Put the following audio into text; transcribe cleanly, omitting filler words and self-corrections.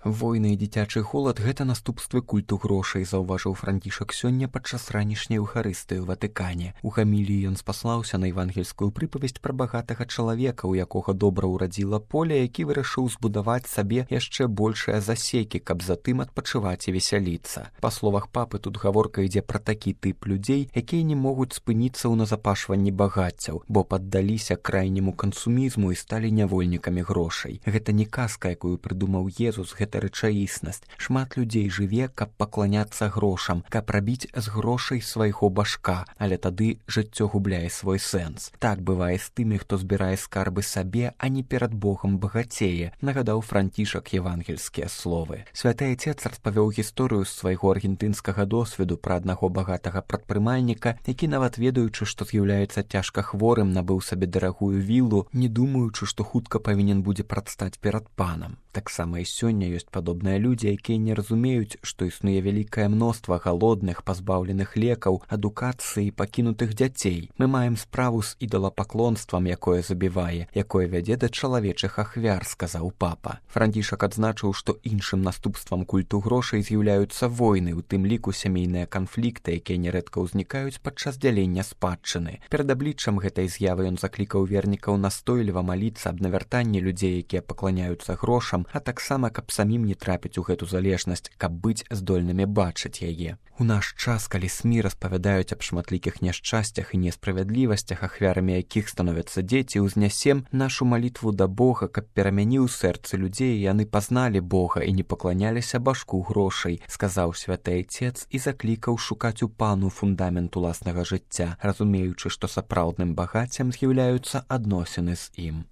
Войны і дзіцячы голад – гэта наступствы культу грошай, заўважыў Францішак сёння падчас ранішняй эўхарыстыі ў Ватыкане. У гаміліі ён спаслаўся на евангельскую прыпавесць пра багатага чалавека, у якога добра ўрадзіла поле, які вырашыў збудаваць сабе яшчэ большыя засекі, каб затым адпачываць і весяліцца. Па словах папы, тут гаворка ідзе пра такі тып людзей, якія не могуць спыніцца ў назапашванні багаццяў, бо паддаліся крайняму кансумізму і сталі нявольнікамі грошай. Гэта не казка, якую прыдумаў Езус, гэта рэчаіснасць. Шмат людзей жыве, каб пакланяцца грошам, каб рабіць з грошай свайго башка, але тады жыццё губляе свой сэнс. Так бывае з тымі, хто збірае скарбы сабе, а не перад Богам багацее, нагадаў Францішак евангельскія словы. Святы Айцец распавёў гісторыю з свайго аргентынскага досведу пра аднаго багатага прадпрымальніка, які нават ведаючы, што з'яўляецца цяжка хворым, набыў сабе дарагую віллу, не думаючы, што хутка павінен будзе прадстаць перад панам. Таксама і сёння ёсць падобныя людзі, якія не разумеюць, што існуе вялікае мноства галодных, пазбаўленых лекаў, адукацыі і пакінутых дзяцей. Мы маем справу з ідалапаклонствам, якое забівае, якое вядзе да чалавечых ахвяр, сказаў папа. Францішак адзначыў, што іншым наступствам культу грошай з'яўляюцца войны, у тым ліку сямейныя канфлікты, якія нярэдка ўзнікаюць падчас дзялення спадчыны. Перад абліччам гэтай з'явы ён заклікаў вернікаў настойліва маліцца аб навяртанні людзей, якія пакланяюцца грошам, а таксама, каб самім не трапіць у гэту залежнасць, каб быць здольнымі бачыць яе. У наш час, калі СМІ распавядаюць аб шматлікіх няшчасцях і несправядлівасцях, ахвярамі якіх становяцца дзеці, узнясем нашу малітву да Бога, каб перамяніў сэрцы людзей, і яны пазналі Бога і не пакланяліся башку грошай, сказаў святы Айцец і заклікаў шукаць у Пану фундамент уласнага жыцця, разумеючы, што сапраўдным багаццем з'яўляюцца адносіны з ім.